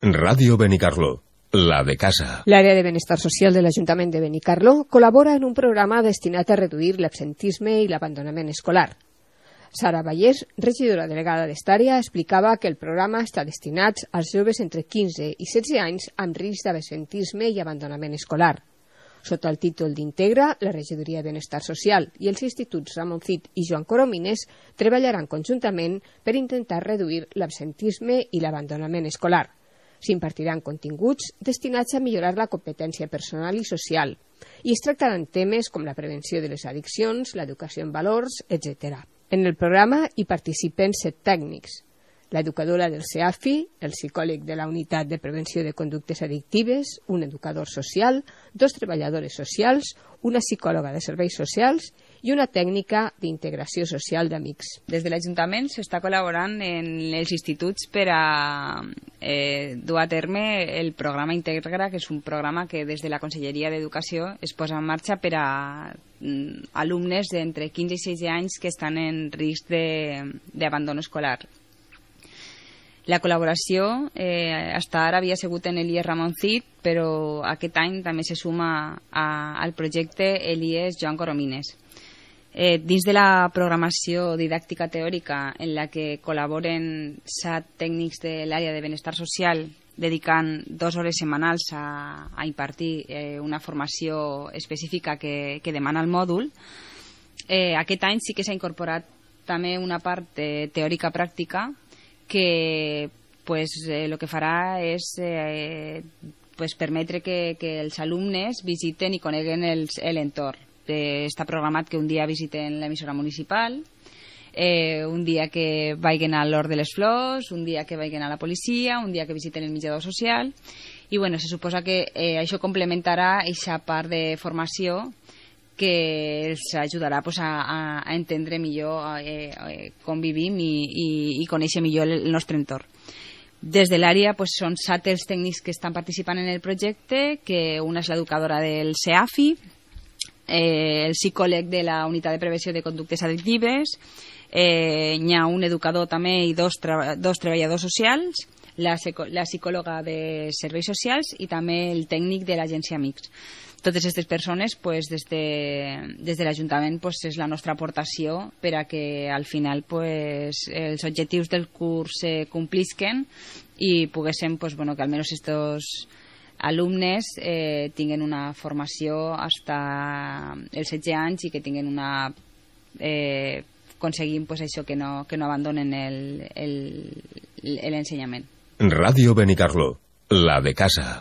Ràdio Benicarló, la de casa. L'àrea de benestar social de l'Ajuntament de Benicarló col·labora en un programa destinat a reduir l'absentisme i l'abandonament escolar. Sara Vallès, regidora delegada d'esta explicava que el programa està destinat als joves entre 15 i 16 anys amb risc d'absentisme i abandonament escolar. Sota el títol d'Integra, la Regidoria de Benestar Social i els instituts Ramon Cid i Joan Coromines treballaran conjuntament per intentar reduir l'absentisme i l'abandonament escolar. S'impartiran continguts destinats a millorar la competència personal i social i es tractaran temes com la prevenció de les addiccions, l'educació en valors, etc. En el programa hi participen 7 tècnics: l'educadora del CEAFI, el psicòleg de la Unitat de Prevenció de Conductes Addictives, un educador social, 2 treballadores socials, una psicòloga de serveis socials i una tècnica d'integració social d'amics. Des de l'Ajuntament s'està col·laborant en els instituts per a dur a terme el programa Integra, que és un programa que des de la Conselleria d'Educació es posa en marxa per a alumnes d'entre 15 i 16 anys que estan en risc d'abandon escolar. La col·laboració hasta ara havia sigut en l'IES Ramon Cid, però aquest any també se suma al projecte l'IES Joan Coromines. Dins de la programació didàctica teòrica en la que col·laboren 7 tècnics de l'àrea de benestar social dedicant 2 hores setmanals a impartir una formació específica que demana el mòdul, aquest any sí que s'ha incorporat també una part teòrica pràctica que el que farà és permetre que els alumnes visiten i coneguen l'entorn. Està programat que un dia visiten l'emissora municipal, un dia que vagin a l'Hort de les Flors, un dia que vagin a la policia, un dia que visiten el menjador social, i se suposa que això complementarà aquesta part de formació que els ajudarà a entendre millor com vivim i conèixer millor el nostre entorn. Des de l'àrea són 7 els tècnics que estan participant en el projecte, que una és l'educadora del CEAFI, el psicòleg de la Unitat de Prevenció de Conductes Addictives, hi ha un educador també i 2 treballadors socials, la psicòloga de serveis socials i també el tècnic de l'agència Amics. Totes aquestes persones, des de l'Ajuntament, és la nostra aportació per a que al final els objectius del curs se complisquen i poguéssim que almenys aquests alumnes tinguin una formació fins als 16 anys i que tinguin aconseguim això, que no abandonen l'ensenyament. Ràdio Benicarló, la de casa.